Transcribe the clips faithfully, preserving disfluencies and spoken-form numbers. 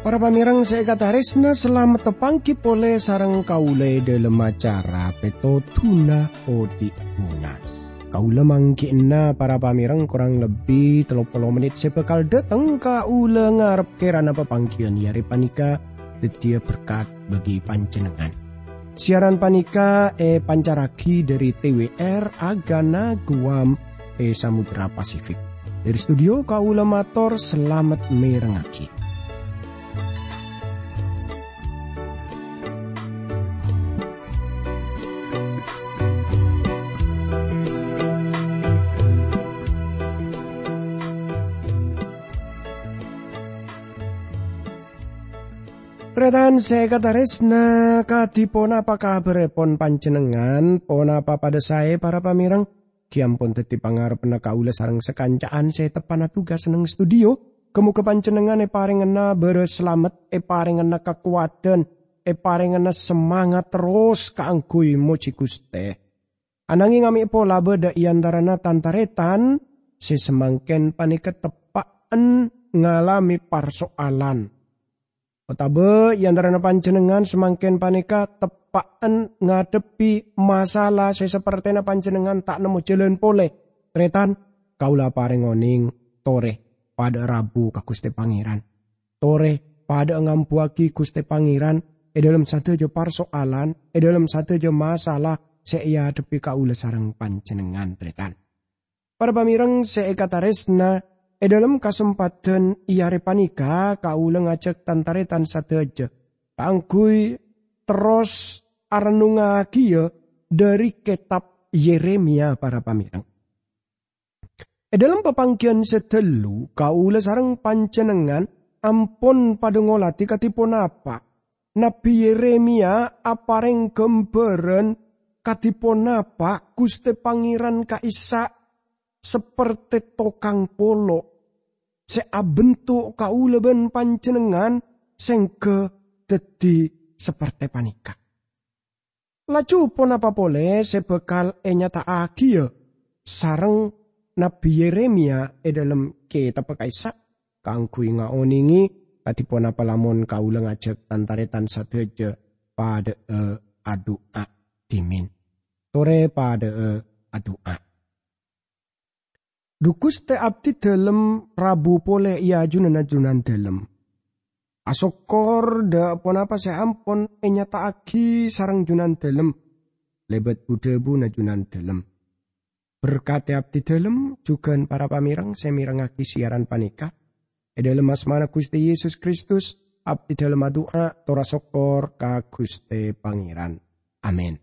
Para pamèrèng sè èkatarèsna, salamet tapangghi polè sareng kaulâ è dhâlem acara Pètodhuna Odi' Bunga. Kaulâ mangghi'na para pamèrèng korang lebbi tello polo mennit sè bhâkal dhâteng, kaulâ ngarep kèrana papangghiyân è arè panèka dhâddhiyâ berkat bagi panjhennengngan. Siaran panèka èpancarraghi dhâri T W R Agana Guam è Samudra Pasifik. Dhâri studio kaulâ mator salamet mèrengngaghi. Tarètan sè èkatarèsna, kadhi ponapa kabhârrèpon panjhennengngan? Ponapa padâ saè, para pamèrèng? Ghi' ampon dhâddhi pangarebbhânna kaulâ sareng sakanca'an sè teppa'na tugas neng studio. Ghâ-mogâ panjhennengngan èparèngana bârâs salamet, èparèngana kakowadhân, èparèngana semangat terros kaangghuy mojhi Ghustè. Anangèng amè' pola bâdâ è antarana tan-tarètan sè samangkèn panèka teppa'en ngalamè parso'alan. Otabâ è antarana panjhennengngan samangkèn panèka teppa'en ngadhebbhi masalah sè sapertèna panjhennengngan ta' nemmo jhâlân polè. Tarètan, kaulâ aparèng onèng, torè, padâ'â rabu ka Ghustè Pangèran. Torè, padâ'â ngambuwâghi Ghustè Pangèran è dhâlem sadhâjâ parso'alan, è dhâlem sadhâjâ masalah sè èadhebbhi kaulâ sareng panjhennengngan, tarètan. Para pamèrèng sè èkatarèsna, è dhâlem kasempadhân è arè panèka kaulâ ngajhâk tan-tarètan sadhâjâ kaangghuy terros arennungngagiyâ dhâri kètab Yeremia, para pamèrèng. È dhâlem papangghiyân sè dhâllu, kaulâ sareng panjhennengngan ampon padâ ngolatè kadhi ponapa Nabbhi Yeremia aparèng ghâmbhârân kadhi ponapa Ghustè Pangèran ka'issa' sapertè tokang polo' sè abentuk kaulâ bân panjhennengngan sèngghâ dhâddhi sapertè panèka. Laju ponapa polè sè bhâkal ènyata'aghiyâ sareng Nabbhi Yeremia è dhâlem kètabbhâ ka'issa'? Kaangghuy ngaonèngè kadhi ponapa lamon kaulâ ngajhâk tan-tarètan sadhâjâ padâ'â adu'a dhimèn. Torè padâ'â adu'a. Dhu Ghustè, abdhi dhâlem rabu polè è ajunanna Jhunandhâlem. Asokkor dhâ' ponapa sè ampon ènyata'aghi sareng Jhunandhâlem lèbât bu-dhâbuna Jhunandhâlem. Berkadhi abdhi dhâlem jhughân para pamèrèng sè mèrengngaghi siaran panèka. È dhâlem asmana Ghustè Yesus Kristus, abdhi dhâlem adu'a tor asokkor ka Ghustè Pangèran. Amin.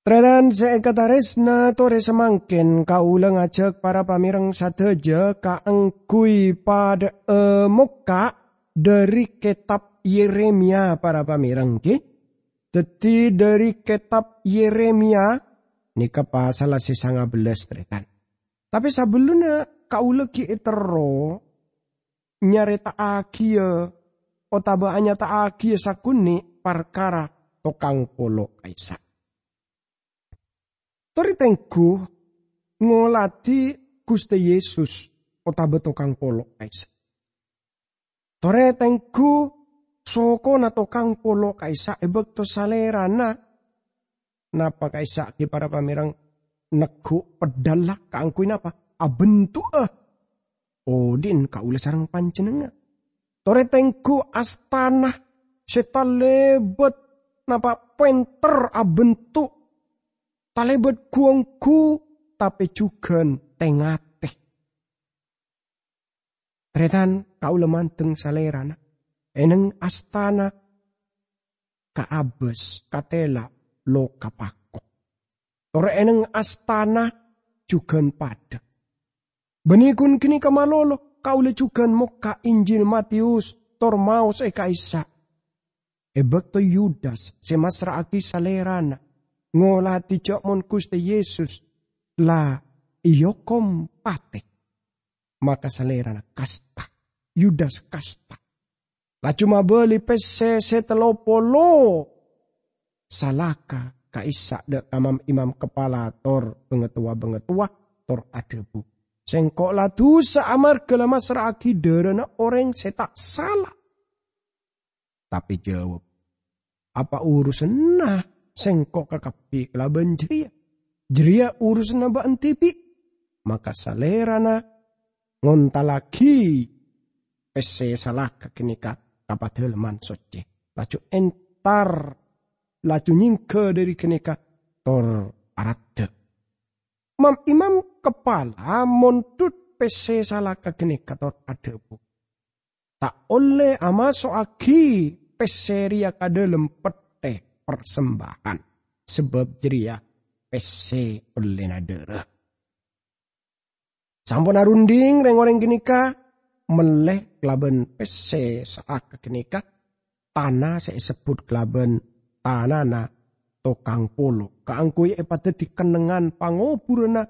Tarètan sè èkatarèsna, torè samangkèn kaulâ ngajhâk para pamèrèng sadhâjâ kaangghuy padâ'â mokka' dhâri kètab Yeremia, para pamèrèng, ghi. Dhâddhi, dhâri kètab Yeremia nèka pasalla sè sanga bellâs, tarètan. Tapè sabellunna kaulâ ghi' èterro nyarèta'aghiyâ otabâ anyata'aghiyâ sakonè' parkara tokang polo' ka'issa'. Torè tengghu ngolatè Ghustè Yesus otabâ tokang polo' ka'issa'. Torè tengghu sokona tokang polo' ka'issa' è bâkto salèrana napa ka'issa' ghi para pamèrèng negghu' peddhâlla kaangghuy napa? Abentu'a odi'na kaulâ sareng panjhennengngan. Torè tengghu' astana sè talèbât napa pènter abentu', talèbât ghu-ongghu, tapè jhughân tè-ngatè. Tarètan, kaulâ mandeng salèrana è neng astana ka abâs, ka tèla, lo-, ka pako. Tor è neng astana jhughân padâ. Bânnè ghun ghânèka malolo, kaulâ jhughân mokka' Injil Matius tor maos è ka'issa'. È bâkto Yudas sè massra'aghi salèrana ngolatè jhâ' mon Ghustè Yesus la èokom patè, maka salèrana kasta, Yudas kasta. laju mabâli pèssè sè tello polo salaka ka'issa' dâ' ka mam-imam kapala tor bangatowa-bangatowa, tor adhâbu, "Sèngko' la dusa amarghâ la massra'aghi dhârâna orèng sè ta' sala." Tapè jâwâb, "Apa urusanna sèngko' kakabbhi kalabân jârèya? Jârèya urusanna bâ'na dhibi'." Maka salèrana ngontallaghi pèssè salaka ghânèka ka Padâlemman Soccè, laju entar, laju nyèngghâ dâri ghânèka tor araddhâ. Mam-imam kapala mondhut pèssè salaka ghânèka tor adhâbu, "Ta' ollè amaso'aghi pèssè rèya ka dâlem pettè parsembahan, sabâb jârèya pèssè ollèna dhârâ." Sampon arundhing, rèng-orèng ghânèka mellè kalabân pèssè salaka ghânèka tana sè èsebbhut kalabân tanana tokang polo, kaangghuy èpadhâddhi kennengngan pangoburanna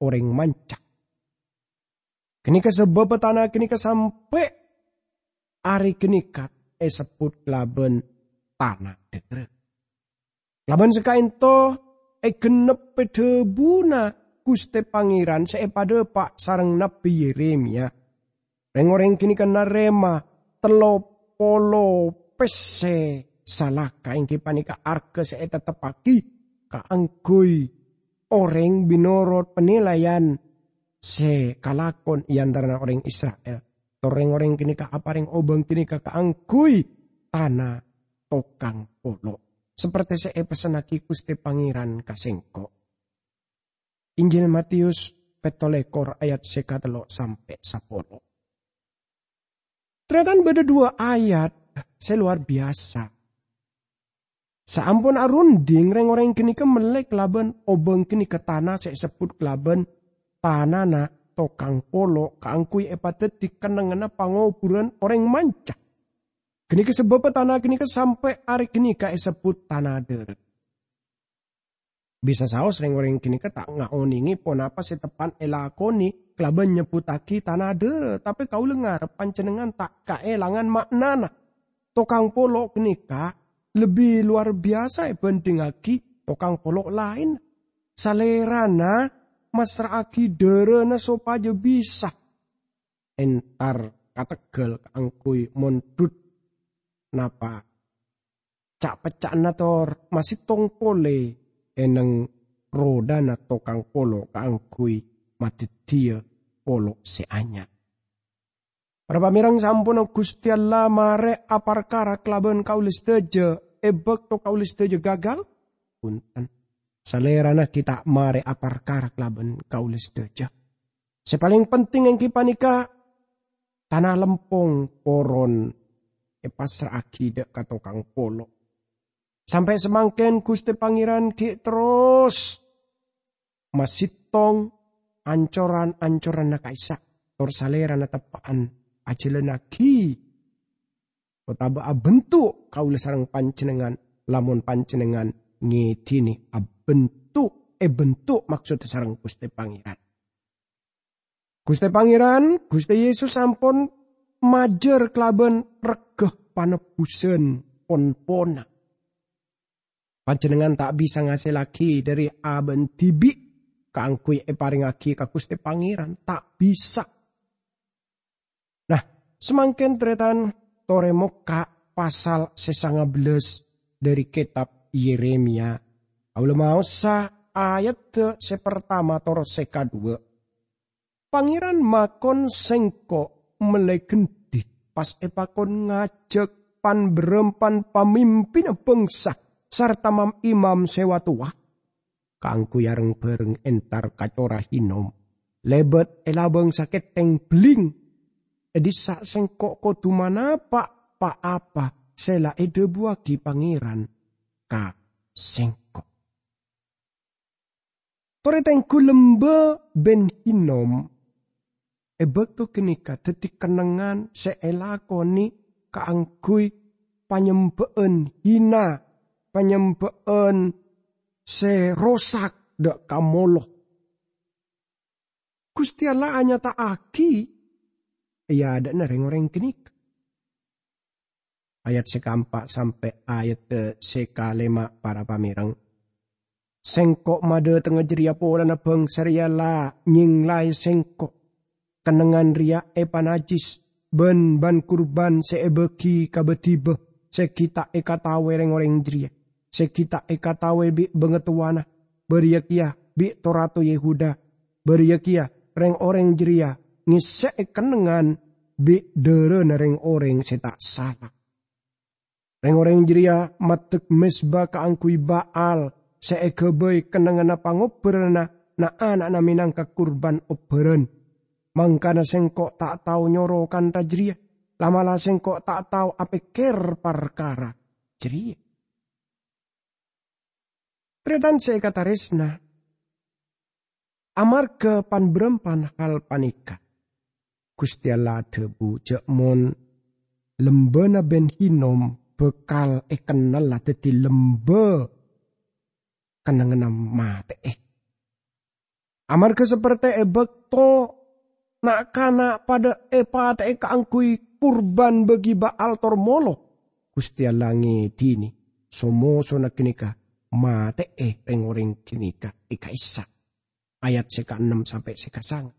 orèng manca. Ghânèka sabâbbhâ tana ghânèka sampè' arè ghânèka èsebbhut kalabân tana dhârâ. Kalabân sè ka'ènto ègennebbhi dhâbuna Ghustè Pangèran sè èpadhâpa' sareng Nabbhi Yeremia. Rèng-orèng ghânèka narèma tello polo pèssè salaka, èngghi panèka arghâ sè ètetteppaghi kaangghuy orèng mènorot panilaian sè kalakon è antarana orèng Isra'il. Tor rèng-orèng ghânèka aparèng obâng ghânèka kaangghuy tana tokang polo, saperte sè èpessennaghi Ghustè Pangèran ka sèngko'. Injil Matius pètto lèkor ayat sè katello sampè' sapolo. Tarètan bâdâ duwâ ayat sè lowar biyasa. Saampon arundhing, rèng-orèng ghânèka mellè kalabân obâng ghânèka tana sè èsebbhut kalabân tanana tokang polo kaangghuy èpadhâddhi kennengnganna pangoburan orèng manca. Ghânèka sabâbbhâ tana ghânèka sampè' arè ghânèka èsebbhut tana dhârâ. Bisa saos rèng-orèng ghânèka ta' ngaonèngè ponapa sè teppan èlakonè kalabân nyebbhuttaghi tana dhârâ, tapè kaulâ ngarep panjhennengngan ta' kaèlangan ma'nana. Tokang polo ghânèka lebbi lowar biyasa èbhândhingngaghi tokang polo laèn. Salèrana massra'aghi dhârâna sopajâ bisa entar ka tegghâl kaangghuy mondhut napa ca'-pecca'anna tor masettong polè è neng rodhâna tokang polo kaangghuy madhâddhiyâ polo sè anyar. Para pamèreng, saamponna Ghustè Allah marè aparkara kalabân kaulâ sadhâjâ è bâkto kaulâ sadhâjâ gagal? Bhunten. Salèrana ghi' ta' marè aparkara kalabân kaulâ sadhâjâ. Sè palèng penting èngghi panèka tana lempong poron èpassra'aghi dâ' ka tokang polo. Sampè' samangkèn Ghustè Pangèran ghi' terros masettong ancoran-ancoranna ka'issa', tor salèrana teppa'an ajhâlânnaghi otabâ abhânto kaulâ sareng panjhennengngan, lamon panjhennengngan ngèdhinè abhânto, èbhânto maksodda sareng Ghustè Pangèran. Ghustè Pangèran, Ghustè Yesus ampon majâr kalabân regghâ panebbhusân pon-ponna. Panjhennengngan ta' bisa ngasèllaghi dâri abâ'na dhibi' kaangghuy èparèngngaghi ka Ghustè Pangèran, ta' bisa. Nah, samangkèn tarètan torè mokka' pasal sè sangabellâs dâri kètab Yeremia. Kaulâ maosa ayadda sè partama tor sè kaduwâ'. Pangèran makon sèngko' mellè gendhi, pas èpakon ngajhâk pan-bârâmpan pamimpinna bhângsa sarta mam-imam sè wa-towa, kaangghuy areng-bhâreng entar ka Cora Hinnom, lèbât è labâng sakèthèng bellèng. È dissa' sèngko' kodhu manapa' pa-apa sè la èdhâbuwaghi Pangèran ka sèngko'. Torè tengghu lembâ bân Hinnom è bâkto ghânèka dhâddhi kennengngan sè èlakonè kaangghuy panyembhâ'ân hina, panyembhâ'ân sè rosak dâ' ka Molokh. Ghustè Allah anyata'aghi è adâ'na rèng-orèng ghânèka. Ayat sè kaempa' sampè' ayat sè kalèma', para pamèreng. Sengko' madhatengnga jârèya polana bhângsa rèya la nyenglaè Sengko'. Kennengngan rèya èpanajjis bân ban-kurban sè èbâghi ka bâdhibâ sè ghi' ta' èkataowè rèng-orèng jârèya, sè ghi' ta' èkataowè bi' bangatowana, bâriyâ kèya bi' to-rato Yehuda, bâriyâ kèya rèng-orèng jârèya ngèssè'è kennengngan bi' dârâna rèng-orèng sè ta' sala. Rèng-orèng jârèya maddek mezba kaangghuy Ba'al sè èghâbây kennengnganna pangobbhâranna na'-ana'na mènangka kurban obbhârân. Mangkana Sengko' ta' tao nyoro kantha jârèya, la'-mala' Sengko' ta' tao apèkkèr parkara jârèya. Tarètan sè èkatarèsna, amarghâ pan-bârâmpan hal panèka, Ghustè Allah adhâbu jâ' mon lembâna Ben Hinnom bhâkal èkennalla dhâddhi lembâ kennengnganna matè'è. Amarghâ saperte è bâkto na'-kana' padâ èpatè'è kaangghuy kurban bâgi Ba'al tor molo, Ghustè Allah ngèdhini so-mosona ghânèka matè'è rèng-orèng ghânèka è ka'issa'. Ayat sè kaennem sampè' sè kasanga.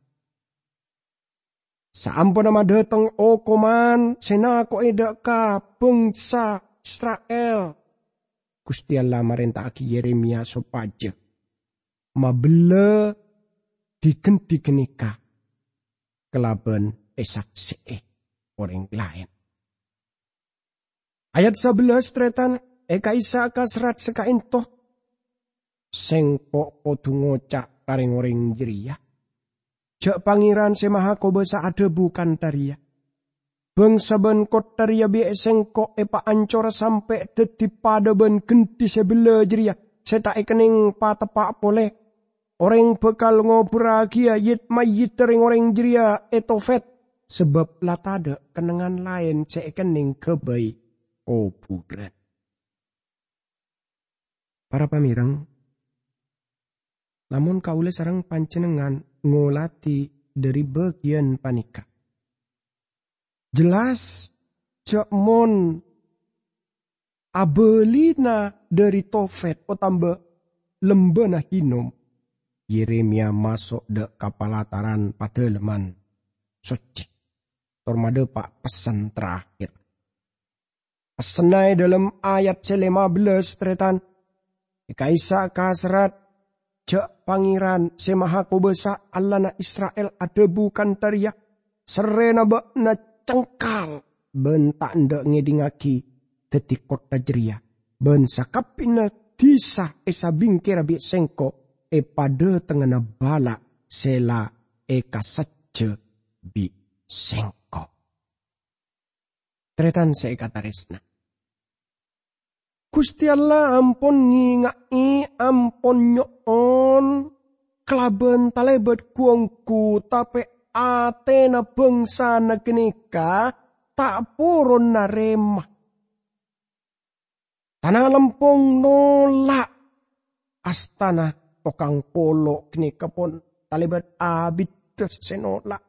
Saamponna madhâteng okoman sè nako'è dâ' ka bhângsa Isra'il, Ghustè Allah marènta'aghi Yeremiya sopajâ mabellâ dhi-ghândhi ghânèka kalabân èsaksè'è orèng laèn. Ayat sabellâs, tarètan, è ka'issa' ka serrat sè ka'ènto, Sengko' kodhu ngoca' ka rèng-orèng jârèya, jâ' Pangèran Sè Mahakobâsa adhâbu kantha rèya, "Bângsa bân kottha rèya bi' Sengko' èpaancora sampè' dhâddhi padâ bân ghândhi sè bellâ jârèya sè ta' èkennèng pateppa' polè. Orèng bhâkal ngoburraghiyâ yit-mayyidda rèng-orèng jârèya è Tofet, sabâb la tadâ' kennengngan laèn sè èkennèng ghâbây kobhurân." Para pamèreng, lamon kaulâ sareng panjhennengngan ngolatè dhâri bâgiyân panèka, jelas jâ' mon abâlina dhâri Tofet otamba lembâna Hinnom, Yeremiya maso' dâ' ka palataran Padâlemman Soccè, tor madhâpa' pessen terakhir. Pessenna è dhâlem ayat sè lèma bellâs, tarètan. È ka'issa' ka serrat, jâ' Pangèran Sè Mahakobâsa, Allahna Isra'il, adhâbu kantha rèya, "Serrèna bâ'na cengkal bân ta' endâ' ngèdingngaghi dhâddhi kottha jârèya, bân sakabbhiyânna dhisa è sabingkèra bi' Sengko' è padâtengngana bala sè la èkasajjhâ bi' Sengko'." Tarètan sè èkatarèsna, Ghustè Allah ampon ngènga'è, ampon nyo'on kalabân talèbât ghu-ongghu, tapè atèna bângsana ghânèka ta' poron narèma. Tana lempong nolak. Astana tokang polo' ghânèka pon talèbât abiddhâ sè nolak.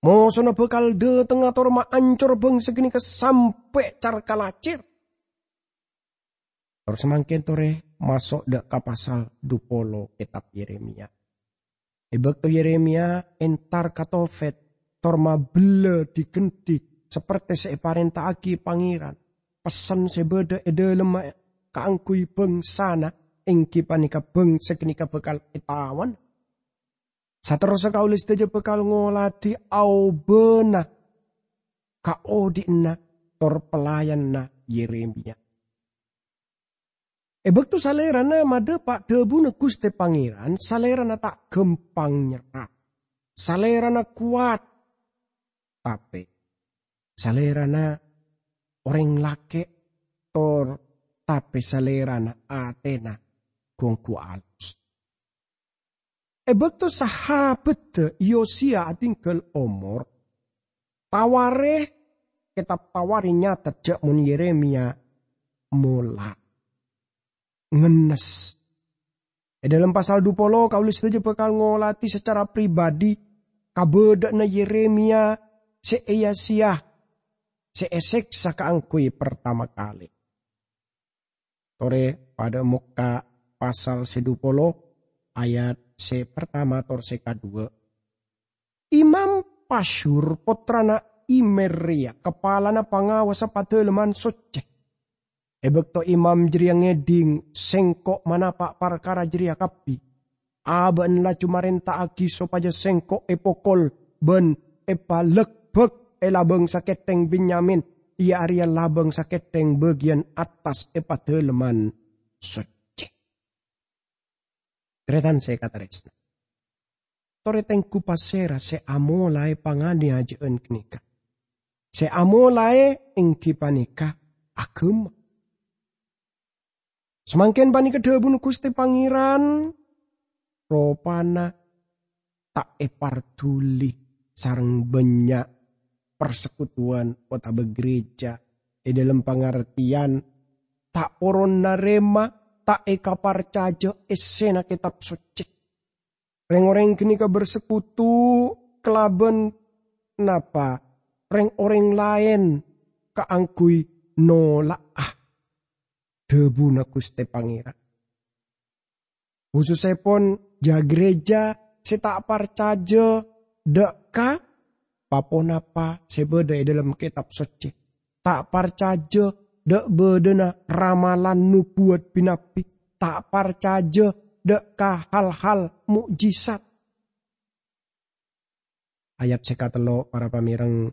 Mosona bhâkal dâtengnga tor maancor bângsa ghânèka sampè' car-kalacèr. Tor samangkèn torè maso' dâ' ka pasal dhu polo kètab Yeremiya. È bâkto Yeremiya entar ka Tofet, tor mabellâ dhi-ghândhi saperte sè èparènta'aghi Pangèran, pessen sè bâdâ è dhâlemma kaangghuy bângsana èngghi panèka bângsa ghânèka bhâkal ètawan. Saterrossa kaulâ sadhâjâ bhâkal ngolatè aobâna kaodi'na tor pelayanna Yeremiya. È bâkto salèrana madhâpa' dhâbuna Ghustè Pangèran, salèrana ta' ghâmpang nyerra. Salèrana kowat, tapè salèrana orèng lakè', tor tapè salèrana atèna ghu-ongghu alus. È bâkto sahabaddhâ Yosiya adhingghâl omor, Tawarikh, kètab Tawarikh nyatet jâ' mon Yeremiya mola ngennes. È dhâlem pasal dhu polo, kaulâ sadhâjâ bhâkal ngolatè sacara pribadi kabâdâ'ânna Yeremiya sè èya-sèya. sè èsèksa kaangghuy partama kalè. Torè padâ mokka' pasal sè dhu polo, ayat sè partama tor sè kadhuwâ'. Imam Pasyur, pottrana Imer rèya kapalana pangawassa padâlemman soccè. È bâkto imam jârèya ngèdhing sèngko' manapa' parkara jârèya kabbhi, abâ'na laju marènta'aghi sopajâ sèngko' èpokol bân èpalèkbâk è labâng sakèthèng Benyamin, iyâ arèya labâng sakèthèng bâgiyân attas è padâlemman soccè. Tarètan sè èkatarèsna. Torè tengghu pasèra sè amolaè panganèyajâ'ân ghânèka? Sè amolaè èngghi panèka aghâma. Samangkèn panèka dhâbuna Ghustè Pangèran, ropana ta' èparduli sareng bânnya' parsekutuwan otabâ gereja, è dhâlem pangartèyan ta' poron narèma, ta' èkaparcajâ èssèna Kètab Soccè. Rèng-orèng ghânèka bersekutu kalabân napa? Rèng-orèng laèn kaangghuy nola'a dhâbuna Ghustè Pangèran. Khusussèpon ja-, gereja sè ta' parcajâ dâ' ka pa-ponapa sè bâdâ è dhâlem Kètab Soccè. Ta' parcajâ dâ' bâdâna ramalan nobuwat bi-nabbi. Ta' parcajâ dâ' ka hal-hal mo'jizat. Ayat sè katello', para pamèreng,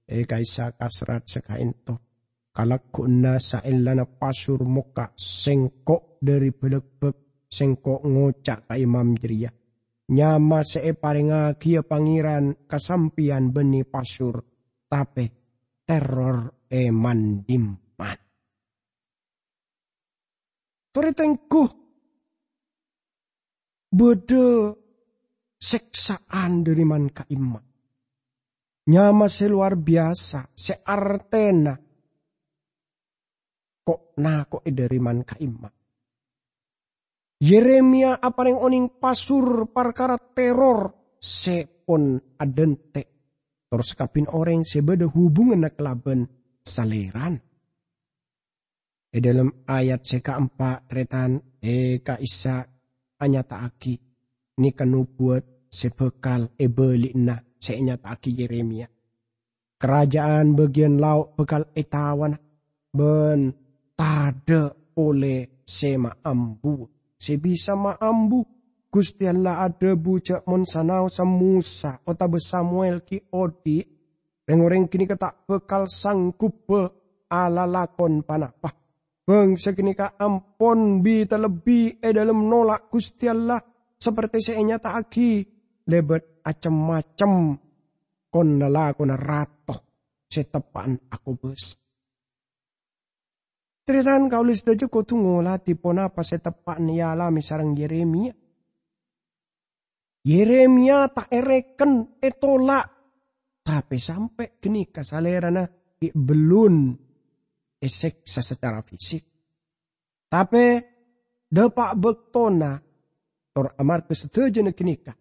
è ka'issa' kasrat sè ka'ènto. Kalagguwânna saellana Pasyur mokka' sèngko' dhâri bâlâkbâk, sèngko' ngoca' ka imam jârèya, "Nyama sè èparèngaghiyâ Pangèran ka sampèyan bânnè Pasyur, tapè terror è man-dimman." Torè tengghu bâdâ sèksa'an dhâri man-ka'imma. Nyama sè lowar biyasa, sè artèna ko'-nako'è dhâri man-ka'imma. Yeremia aparèng onèng Pasyur parkara terror sè pon adhânte', tor sakabbhiyân orèng sè bâdâ hubunganna kalabân Salèrana. È dhâlem ayat sè kaempa', tarètan, è ka'issa' anyata'aghi nèka nobuwat sè bhâkal èbâli'na sè ènyata'aghi Yeremia. Karaja'an bâgiyân lao' bhâkal ètawana, bân tadâ' polè sè maambu, sè bisa maambu. Ghustè Allah adhâbu ja' mon sanaossa Mosa otabâ Samuel ghi' odhi', rèng-orèng ghânèka ta' bhâkal sanggubbhâ alalakon ponapa. Bhângsa ghânèka ampon bi-talebbi è dhâlem nola' Ghustè Allah, saperte sè ènyata'aghi lèbât acem-macem kon-lalakonna rato sè teppa'na akobâsa. Tarètan, kaulâ sadhâjâ kodhu ngolatè ponapa sè teppa'na èalamè sareng Yeremia. Yeremia ta' èrèken, ètola', tapè sampè' ghânèka salèrana ghi' bellun èsèksa sacara fisik. Tapè dâpa' bâktona, tor amarghâ sadhâjâna ghânèka,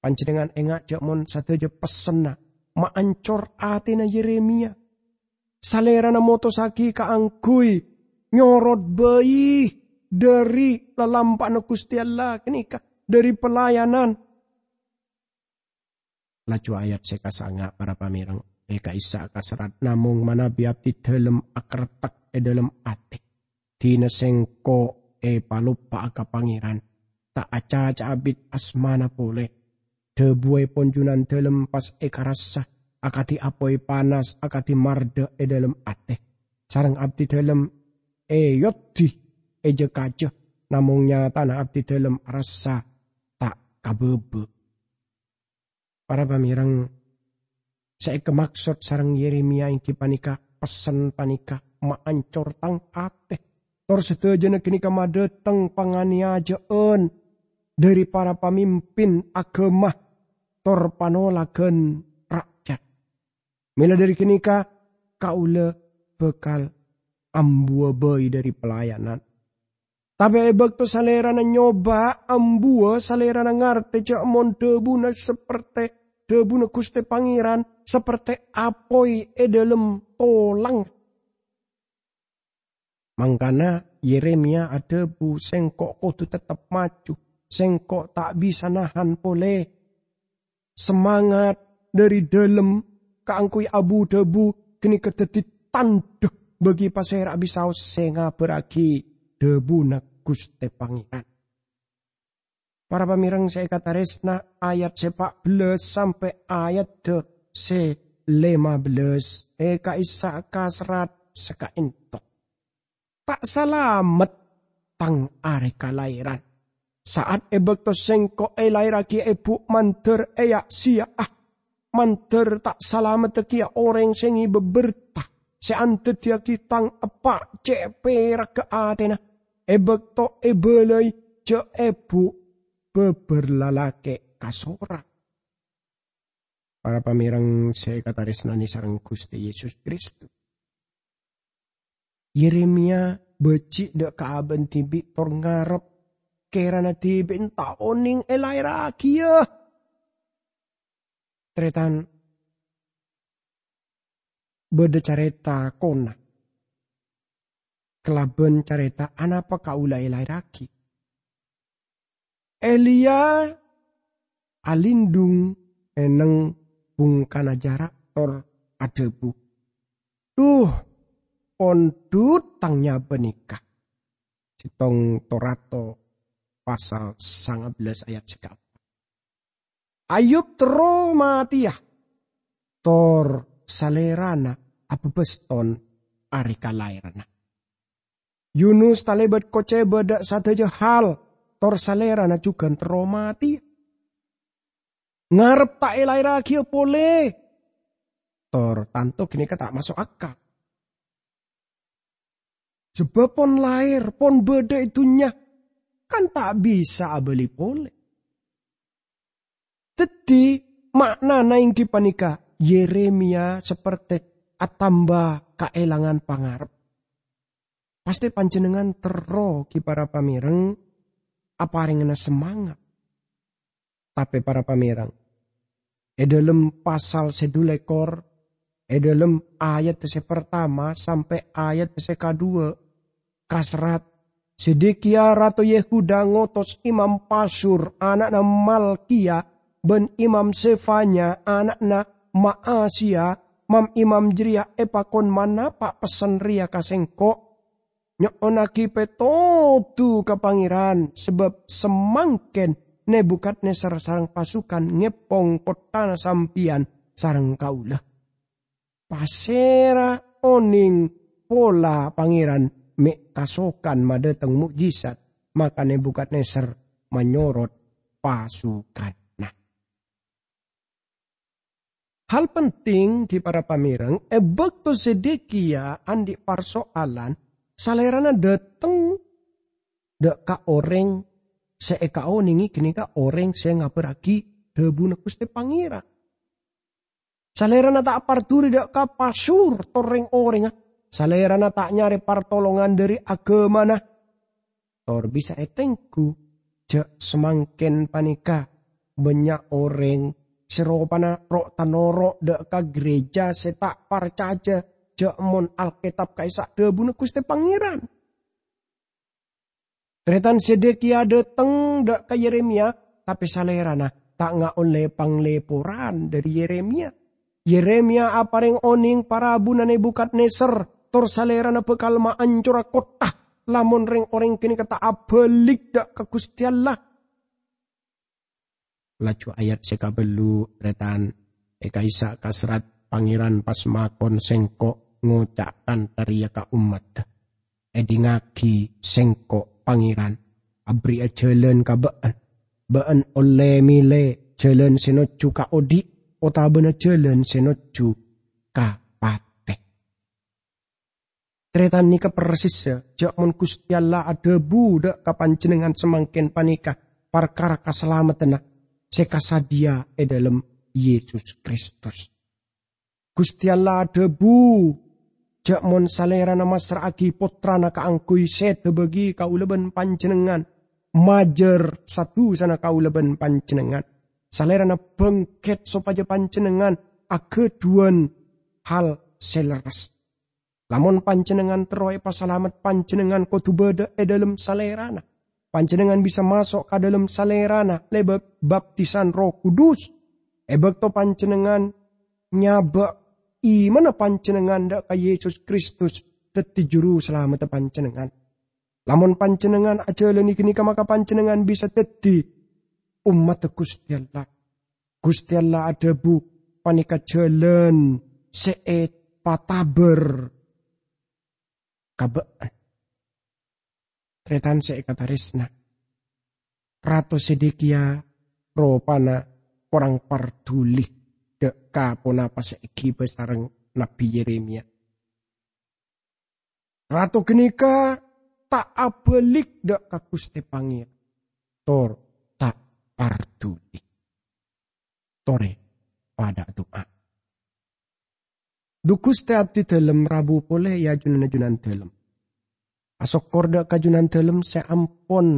panjhennengngan enga' ja' mon sadhâjâ pessenna maancor atèna Yeremia. Salèrana motossaghi kaangghuy nyorot bhâi dhâri lalampa'na Ghustè Allah ghânèka, dhâri pelayanan. Laju ayat sè kasanga', para pamèreng, è ka'issa' kaserrat, "Namong manabi abdidhâlem akarettek è dhâlem atè, dina sèngko' èpaloppa'a ka Pangèran, ta' acaca'a bit asmana polè. Dhâbuèpon Junandhâlem pas èkarassa akadhi apoy panas, akadhi mardhâ è dhâlem atè, sareng abdidhâlem èyoddhi è jâ-kajâ, namong nyatana abdidhâlem arassa ta' kabâbâ." Para pamèreng, sè èkamaksod sareng Yeremia èngghi panèka pessen panèka maancor tang atè. Tor sadhâjâna ghânèka madhâteng panganèyajâ'ân dhâri para pamimpin aghâma tor panolaghân ra'yat. Mèla dhâri ghânèka, kaulâ bhâkal ambuwâ bhâi dhâri pelayanan. Tapè è bâkto Salèrana nyoba ambuwâ, Salèrana ngartè jâ' mon dhâbuna saperte dhâbuna Ghustè Pangèran, saperte apoy e dhalem tolang. Mangkana Yeremia adhabu, "Sengko' kodu teptep maju. Sengko' ta' bisa nahan pole." Semangat dhari dhalem kaangguy abu-dhabu ganeka daddi tandha bagi pasera'a bisaos se ngabarragi dhabuna Guste Pangeran. Para pamereng se ekataresna, ayat se pa' bellas sampe' ayat se lema bellas e ka'issa' kaserrat saka'ento. Ta' salamet tang are kalaeran. Sa'at e bakto sengko' elaerragi ebu mandar eya'-seya'a, mandar ta' salameddhaghiya oreng se ngeba berta se andaddiyagi tang eppa' ce' peragga atena e bakto ebalai ja' ebu babar lalake' kasorang. Para pamereng se ekataresnane sareng Guste Yesus Kristus, Yeremia baji' dha' ka aba'na dibi' tor ngarep kerana dibi'na ta' oneng elaerragiya. Taretan, badha careta kona kalaban careta anapa kaula elaerragi. Eliya alindhung e neng bungkana jara' tor adhabu, "Dhu, pondhut tang nyaba neka." Settong Torato pasal sanga bellas ayat sekaempat. Ayub terro mateya, tor salerana ababaston are kalaeranna. Yunus talebat koceba dha' sadaja hal, tor salerana jugan terro mateya. Ngarep ta' elaerragiya pole, tor tanto ganeka ta' maso' akal. Sabab pon laer, pon badha e dunnya, kan ta' bisa abali pole. Daddi, ma'nana enggi paneka Yeremia saperte atamba kaelangan pangarep. Pasti panjennengngan terro, gi para pamereng, aparengngana semangat. Tape para pamereng, e dhalem pasal se dhu lekor, e dhalem ayat se partama sampe' ayat se kadhuwa, kaserrat, "Zedekiya rato Yehuda ngotos Imam Pasyur ana'na Malkiya ban Imam Zefanya ana'na Ma'aseya, mam-imam jareya epakon manapa' pessen reya ka sengko', nyo'onnagi petodu ka Pangeran, sabab samangken Nebukadnezar sareng pasukan ngeppong kottana sampeyan sareng kaula. Pasera oneng pola Pangeran me' kasokan madhateng mo'jizat, maka Nebukadnezar manyorot pasukanna." Hal penting, gi para pamereng, e bakto Zedekiya andhi' parso'alan, salerana dhateng dha' ka oreng se ekaonenge ganeka oreng se ngabarragi dhabuna Guste Pangeran. Salerana ta' parduli dha' ka Pasyur tor reng-orengnga. Salerana ta' nyare partolongan dhari agamana. Tor bisa etenggu ja' samangken paneka bannya' oreng se ropana ro'-tanoro' dha' ka gereja se ta' parcaja ja' mon Alketab ka'issa' dhabuna Guste Pangeran. Taretan Zedekiya dhateng dha' ka Yeremiya, tape salerana ta' ngaolle pangleporan dhari Yeremiya. Yeremiya apareng oneng parabuna Nebukadnezar, tor salerana bakal maancora kottha lamon reng-oreng ganeka ta' abalik dha' ka Guste Allah. Laju ayat se kabellu', taretan, e ka'issa' kaserrat, "Pangeran pas makon sengko' ngoca' kantha reya ka ommadda, 'Edhingngagi sengko', Pangeran, aberri'a jalan ka ba'en. Ba'en olle mele jalan se nojju ka odhi' otabana jalan se nojju ka pate.'" Taretan, neka persis ja' mon Guste Allah adhabu dha' ka panjennengngan samangken paneka parkara kasalameddhânna se kasadhiya e dhalem Yesus Kristus. Guste Allah adhabu ja' mon Salerana massra'agi Pottrana kaangguy seda bagi kaula ban panjennengngan, majâr sa-dusana kaula ban panjennengngan. Salerana bângket sopaja panjennengngan aghâdhuwân hal sè lerres. Lamon panjhennengngan terro èpasalamet, panjhennengngan kodhu bâdâ è dâlem Salèrana. Panjhennengngan bisa maso' ka dâlem Salèrana lèbât baptisan Erroh Kudus. È bâkto panjhennengngan nyabâ' imanna panjhennengngan dâ' ka Yesus Kristus dhâddhi Juru Salameddhâ panjhennengngan. Lamon panjhennengngan ajhâlânè ghânèka, maka panjhennengngan bisa dhâddhi ommaddhâ Ghustè Allah. Ghustè Allah adhâbu, "Panèka jhâlân sè èpatabâr ka bâ'na." Tarètan sè èkatarèsna, Rato Zedekia ropana korang parduli dâ' ka ponapa sè èghibâ sareng Nabbhi Yeremia. Rato ghânèka ta' abâlik dâ' ka Ghustè Pangèran, tor ta' parduli. Torè padâ adu'a. Dhu Ghustè, abdhi dhâlem rabu polè, yâ, Jhunan-jhunan dhâlem. Asokkor dâ' ka Jhunan dhâlem sè ampon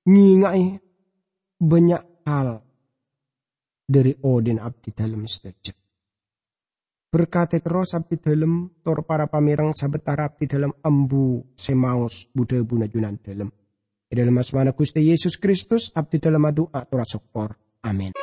ngènga'è bânnya' hal dâri odhi'na abdhi dhâlem sadhâjâ. Berkatè terros abdhi dhâlem, tor para pamèreng sabâtara abdhi dhâlem ambu sè maos bu-dhâbuna Jhunan dhâlem. È dâlem asmana Ghustè Yesus Kristus, abdhi dhâlem adu'a tor asokkor. Amin.